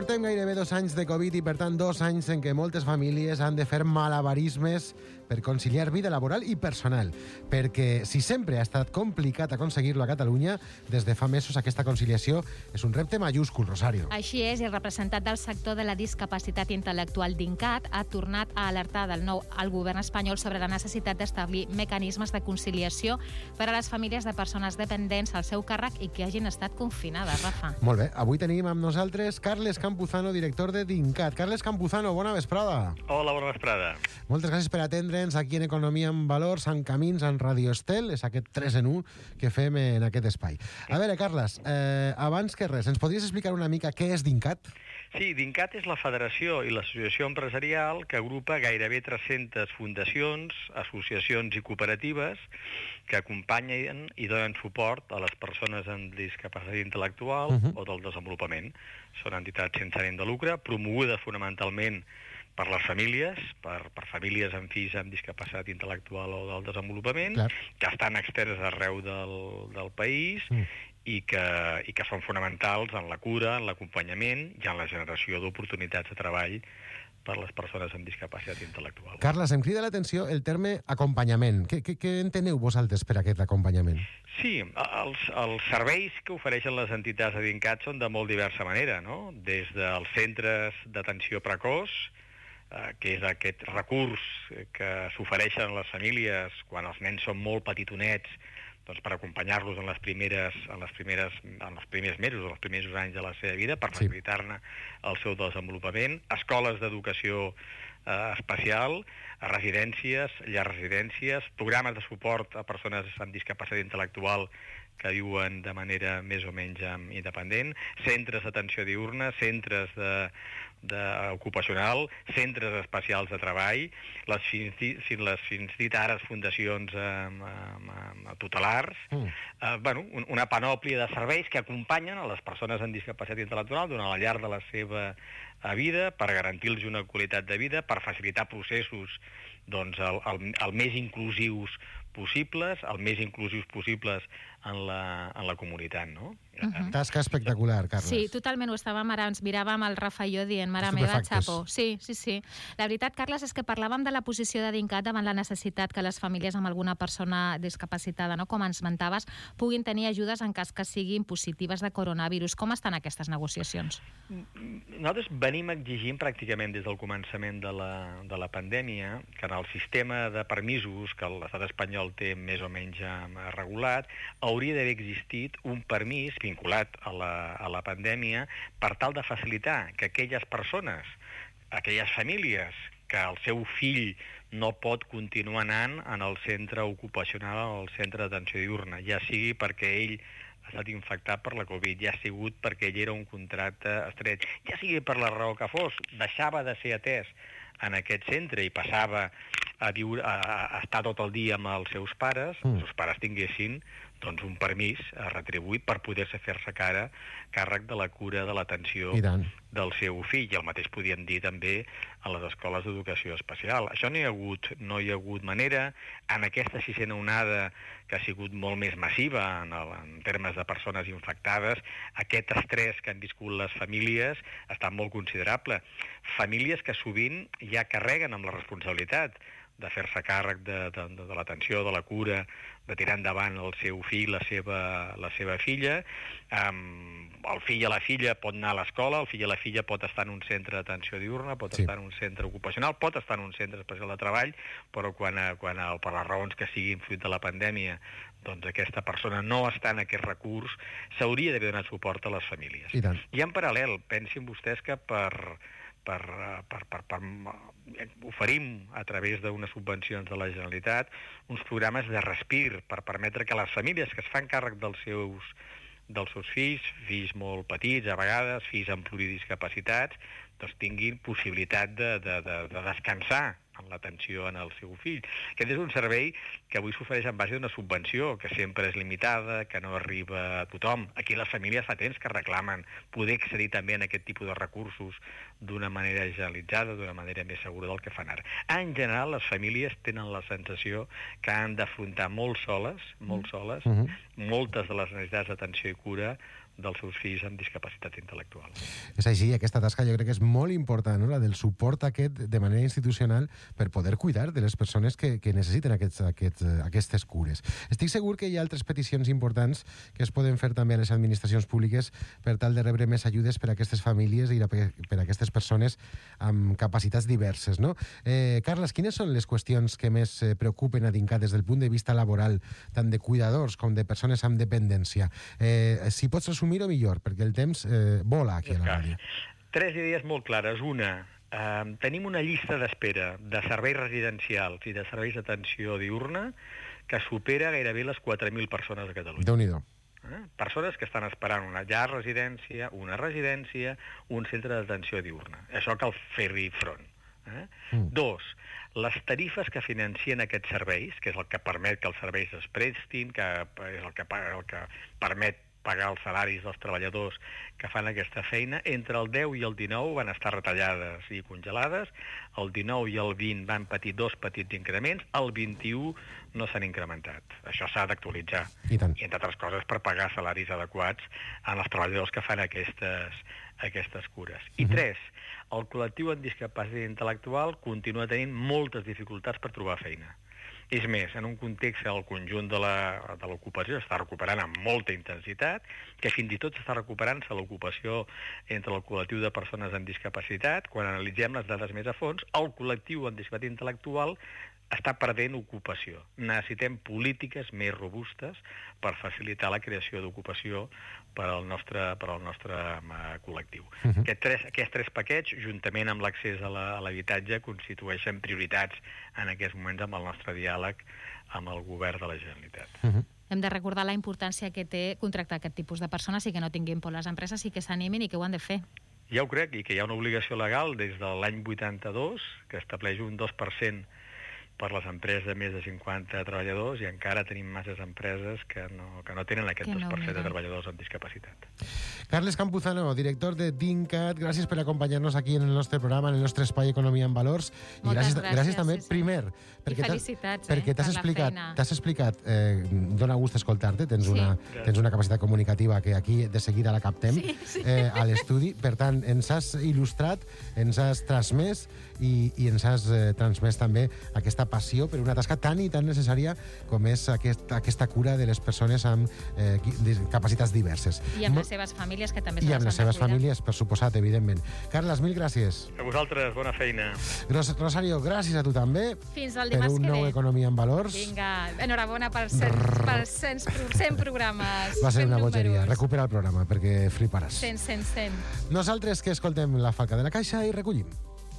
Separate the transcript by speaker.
Speaker 1: Portem gairebé 2 anys de Covid i, per tant, 2 anys en què moltes famílies han de fer malabarismes per conciliar vida laboral i personal. Perquè si sempre ha estat complicat aconseguir-lo a Catalunya, des de fa mesos aquesta conciliació és un repte majúscul, Rosario.
Speaker 2: Així és, i el representant del sector de la discapacitat intel·lectual d'INCAT ha tornat a alertar del nou al govern espanyol sobre la necessitat d'establir mecanismes de conciliació per a les famílies de persones dependents al seu càrrec i que hagin estat confinades, Rafa.
Speaker 1: Molt bé, avui tenim amb nosaltres Carles Campuzano, director de DINCAT. Carles Campuzano, bona vesprada.
Speaker 3: Hola, bona vesprada.
Speaker 1: Moltes gràcies per atendre'ns aquí en Economia en Valors, en Camins, en Radio Estel. És aquest 3 en 1 que fem en aquest espai. A veure, Carles, abans que res, ens podries explicar una mica què és DINCAT?
Speaker 3: Sí, DINCAT és la federació i l'associació empresarial que agrupa gairebé 300 fundacions, associacions i cooperatives que acompanyen i donen suport a les persones amb discapacitat intel·lectual o del desenvolupament. Són entitats sense ànim de lucre, promogudes fonamentalment per les famílies, per famílies amb fills amb discapacitat intel·lectual o del desenvolupament, que estan externes arreu del país i que són fonamentals en la cura, en l'acompanyament i en la generació d'oportunitats de treball per les persones amb discapacitat intel·lectual.
Speaker 1: Carles, em crida l'atenció el terme acompanyament. Què enteneu vosaltres per aquest acompanyament?
Speaker 3: Sí, els serveis que ofereixen les entitats de DINCAT són de molt diversa manera, no? Des dels centres d'atenció precoç, que és aquest recurs que s'ofereixen a les famílies quan els nens són molt petitonets, doncs per acompanyar-los en els primers mesos, en els primers anys de la seva vida, per facilitar-ne el seu desenvolupament, escoles d'educació especial, residències, llars residències, programes de suport a persones amb discapacitat intel·lectual que viuen de manera més o menys independent, centres d'atenció diürna, centres ocupacional, centres especials de treball, les fins dit ara fundacions tutelars, una panòplia de serveis que acompanyen a les persones amb discapacitat intel·lectual durant la llarg de la seva vida per garantir-los una qualitat de vida, per facilitar processos el més inclusius possibles, en la comunitat, no?
Speaker 1: Tasca espectacular, Carles.
Speaker 2: Sí, totalment, ho estàvem ara, ens miràvem el Rafa i jo dient, mare meva, xapo. Sí. La veritat, Carles, és que parlàvem de la posició de DINCAT davant la necessitat que les famílies amb alguna persona discapacitada, no, com ens mentaves, puguin tenir ajudes en cas que siguin positives de coronavirus. Com estan aquestes negociacions?
Speaker 3: Nosaltres venim exigint pràcticament des del començament de la pandèmia que en el sistema de permisos que l'estat espanyol té més o menys regulat, hauria d'haver existit un permís vinculat a la pandèmia per tal de facilitar que aquelles persones, aquelles famílies que el seu fill no pot continuar anant en el centre ocupacional o al centre d'atenció diürna, ja sigui perquè ell ha estat infectat per la Covid, ja ha sigut perquè ell era un contracte estret, ja sigui per la raó que fos, deixava de ser atès en aquest centre i passava a estar tot el dia amb els seus pares, els seus pares tinguessin un permís retribuït per poder-se fer-se càrrec de la cura, de l'atenció del seu fill. I el mateix podíem dir també a les escoles d'educació especial. Això no hi ha hagut manera. En aquesta sisena onada, que ha sigut molt més massiva en termes de persones infectades, aquest estrès que han viscut les famílies ha estat molt considerable. Famílies que sovint ja carreguen amb la responsabilitat de fer-se càrrec de l'atenció, de la cura, de tirar endavant el seu fill, la seva filla. El fill o la filla pot anar a l'escola, el fill o la filla pot estar en un centre d'atenció diürna, pot estar en un centre ocupacional, pot estar en un centre especial de treball, però quan per les raons que siguin fruit de la pandèmia aquesta persona no està en aquest recurs, s'hauria d'haver donat suport a les famílies. I en paral·lel, pensin vostès que oferim a través d'unes subvencions de la Generalitat uns programes de respir per permetre que les famílies que es fan càrrec dels seus fills molt petits, a vegades fills amb pluridiscapacitats, tinguin possibilitat de descansar en l'atenció en el seu fill. Aquest és un servei que avui s'ofereix en base d'una subvenció que sempre és limitada, que no arriba a tothom. Aquí les famílies fa temps que reclamen poder accedir també a aquest tipus de recursos d'una manera generalitzada, d'una manera més segura del que fan ara. En general, les famílies tenen la sensació que han d'afrontar molt soles moltes de les necessitats d'atenció i cura dels seus fills amb discapacitat intel·lectual.
Speaker 1: És així, aquesta tasca jo crec que és molt important, no? La del suport aquest de manera institucional per poder cuidar de les persones que necessiten aquestes cures. Estic segur que hi ha altres peticions importants que es poden fer també a les administracions públiques per tal de rebre més ajudes per a aquestes famílies i per a aquestes persones amb capacitats diverses, no? Carles, quines són les qüestions que més preocupen a DINCAT des del punt de vista laboral, tant de cuidadors com de persones amb dependència? Si pots resumir-ho millor, perquè el temps vola aquí a la ràdio.
Speaker 3: 3 idees molt clares. Una, tenim una llista d'espera de serveis residencials i de serveis d'atenció diurna que supera gairebé les 4.000 persones a Catalunya.
Speaker 1: Déu-n'hi-do.
Speaker 3: Persones que estan esperant una llar residència, una residència, un centre d'atenció diurna. Això cal fer-hi front. 2, les tarifes que financien aquests serveis, que és el que permet que els serveis es prestin, que és el que permet pagar els salaris dels treballadors que fan aquesta feina, entre el 10 i el 19 van estar retallades i congelades, el 19 i el 20 van patir 2 petits increments, el 21 no s'han incrementat. Això s'ha d'actualitzar. I entre altres coses per pagar salaris adequats als treballadors que fan aquestes cures. I 3, el col·lectiu amb discapacitat intel·lectual continua tenint moltes dificultats per trobar feina. És més, en un context el conjunt de l'ocupació s'està recuperant amb molta intensitat, que fins i tot s'està recuperant-se l'ocupació entre el col·lectiu de persones amb discapacitat. Quan analitzem les dades més a fons, el col·lectiu amb discapacitat intel·lectual està perdent ocupació. Necessitem polítiques més robustes per facilitar la creació d'ocupació per al nostre col·lectiu. Aquests 3 paquets, juntament amb l'accés a l'habitatge, constitueixen prioritats en aquests moments amb el nostre diàleg amb el govern de la Generalitat.
Speaker 2: Hem de recordar la importància que té contractar aquest tipus de persones i que no tinguin por les empreses i que s'animin i que ho han de fer.
Speaker 3: Ja ho crec, i que hi ha una obligació legal des de l'any 82 que estableix un 2% per les empreses de més de 50 treballadors, i encara tenim masses empreses que no tenen aquest 2% de treballadors amb discapacitat.
Speaker 1: Carles Campuzano, director de DINCAT, gràcies per acompanyar-nos aquí en el nostre programa, en el nostre espai Economia en Valors. I gràcies també, primer, perquè t'has explicat, dona gust escoltar-te, tens una capacitat comunicativa que aquí de seguida la captem a l'estudi. Per tant, ens has il·lustrat, ens has transmès i ens has transmès també aquesta passió per una tasca tan i tan necessària com és aquesta cura de les persones amb capacitats diverses.
Speaker 2: I amb les seves famílies, que també se les han de cuidar.
Speaker 1: I amb les seves famílies, per suposat, evidentment. Carles, mil gràcies.
Speaker 3: A vosaltres, bona feina.
Speaker 1: Rosario, gràcies a tu també.
Speaker 2: Fins al dimarts que ve.
Speaker 1: Per un nou Economia en Valors.
Speaker 2: Vinga, enhorabona per 100 programes.
Speaker 1: Va ser una bogeria. Recupera el programa, perquè fliparàs.
Speaker 2: 100.
Speaker 1: Nosaltres que escoltem La Falca de la Caixa i recollim.